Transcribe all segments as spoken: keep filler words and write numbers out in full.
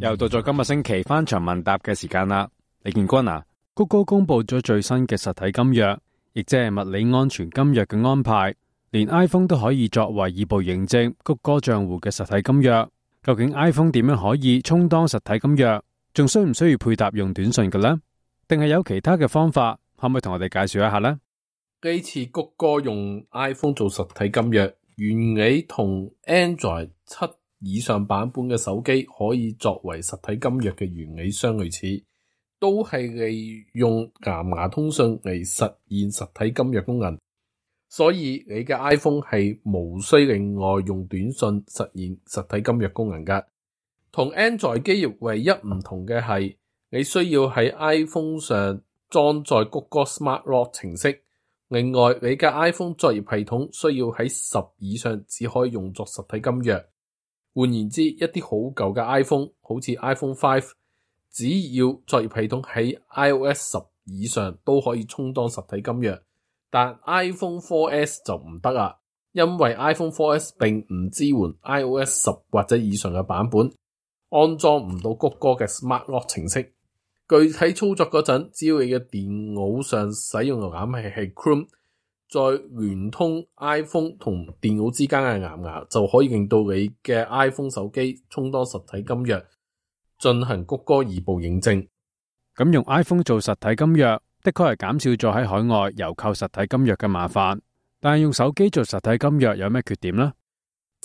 又到咗今個星期翻牆問答嘅時間啦，李建軍啊，谷歌公布咗最新嘅實體金約，亦即係物理安全金約嘅安排，連 iPhone 都可以作為二步認證谷歌賬戶嘅實體金約。究竟 iPhone 點樣可以充當實體金約？仲需唔需要配搭用短信嘅呢？定係有其他嘅方法？可唔可以同我哋介紹一下呢？呢次谷歌用 iPhone 做實體金約，原理同 Android 七以上版本嘅手機可以作為實體金約嘅原理相類似，都係利用藍牙通訊嚟實現實體金約功能。所以你嘅 iPhone 係無需另外用短信實現實體金約功能㗎。同 Android 機唯一唔同嘅係，你需要喺 iPhone 上裝載谷歌 Smart Lock 程式。另外，你嘅 iPhone 作業系統需要喺十以上只可以用作實體金約。換言之，一啲好舊嘅 iPhone， 好似 iPhone 五，只要作業系統喺 iOS 十以上都可以充當實體金約。但 iPhone 四 S 就唔得啦，因為 iPhone 四 S 並唔支援 iOS 十或者以上嘅版本，安裝唔到谷歌嘅 Smart Lock 程式。具體操作嗰陣，只要你嘅電腦上使用瀏覽器係 Chrome， 再聯通 iPhone 同電腦之間嘅藍牙，就可以令到你嘅 iPhone 手機充當實體金約，進行谷歌二步認證。咁用 iPhone 做實體金約，的確係減少咗喺海外郵購實體金約嘅麻煩，但係用手機做實體金約有咩缺點呢？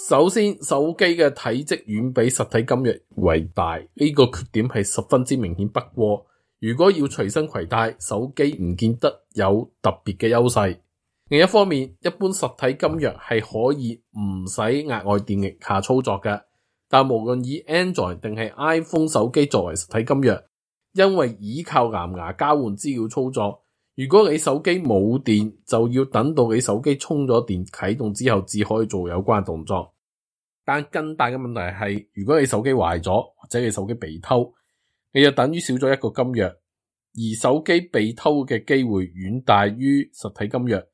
首先，手機嘅體積遠比實體金約為大，呢個缺點係十分之明顯不過。如果要隨身攜帶，手機唔見得有特別嘅優勢。另一方面，一般實體金約係可以唔使額外電力下操作嘅，但無論以 Android 定係 iPhone 手機作為實體金約，因為依靠藍牙交換資料操作，如果你手機冇電，就要等到你手機充咗電啟動之後，至可以做有關動作。但更大嘅問題係，如果你手機壞咗，或者你手機被偷，你就等於少咗一個金約，而手機被偷嘅機會遠大於實體金約。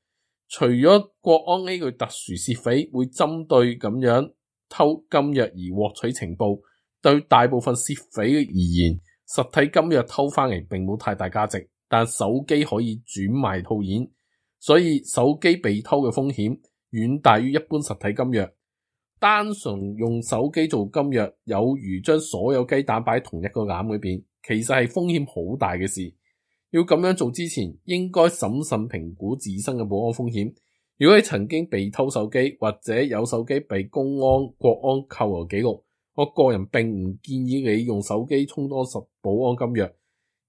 除咗國安呢個特殊竊匪會針對咁樣偷金約而獲取情報，對大部分竊匪而言，實體金約偷翻嚟並冇太大價值，但手機可以轉賣套現，所以手機被偷嘅風險遠大於一般實體金約。單純用手機做金約，有如將所有雞蛋擺喺同一個籃裏邊，其實係風險好大嘅事。要咁樣做之前，應該審慎評估自身嘅保安風險。如果你曾經被偷手機，或者有手機被公安、國安扣留記錄，我個人並唔建議你用手機充當實保安金約，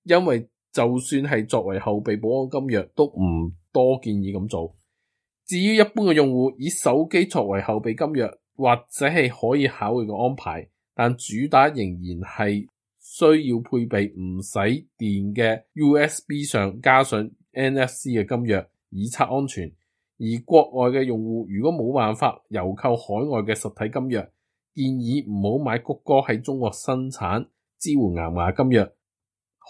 因為就算係作為後備保安金約，都唔多建議咁做。至於一般嘅用戶，以手機作為後備金約，或者係可以考慮嘅安排，但主打仍然係需要配備唔使電嘅 U S B 上加上 N F C 嘅金約，以策安全。而國外嘅用戶如果冇辦法郵購海外嘅實體金約，建議唔好買谷歌喺中國生產支援藍牙金約，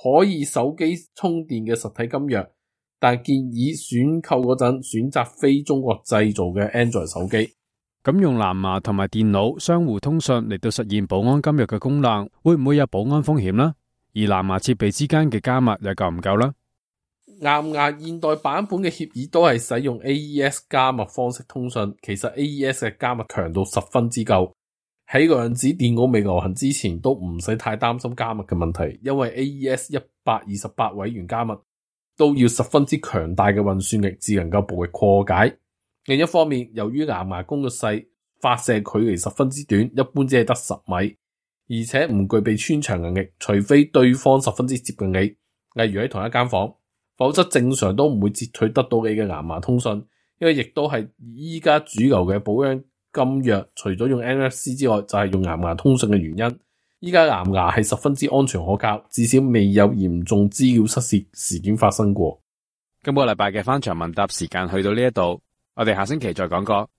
可以手機充電嘅實體金約，但建議選購嗰陣選擇非中國製造嘅 Android 手機。咁用藍牙同埋電腦相互通訊嚟到實現保安金約嘅功能，會唔會有保安風險呢？而藍牙設備之間嘅加密又夠唔夠呢？藍牙現代版本嘅協議都係使用 A E S 加密方式通訊，其實 A E S 嘅加密強度十分之夠，喺量子電腦未流行之前都唔使太擔心加密嘅問題，因為 A E S 一百二十八位元加密都要十分之強大嘅運算力，至能夠暴力破解。另一方面，由於藍牙功率細，發射距離十分之短，一般只係得十米，而且唔具備穿牆能力，除非對方十分之接近你，例如喺同一間房，否則正常都唔會截取得到你嘅藍牙通訊。因為亦都係依家主流嘅保安金約，除咗用 N F C 之外，就係用藍牙通訊嘅原因。依家藍牙係十分之安全可靠，至少未有嚴重資料失竊事件發生過。今個禮拜嘅翻牆問答時間去到呢一度，我哋下星期再講過。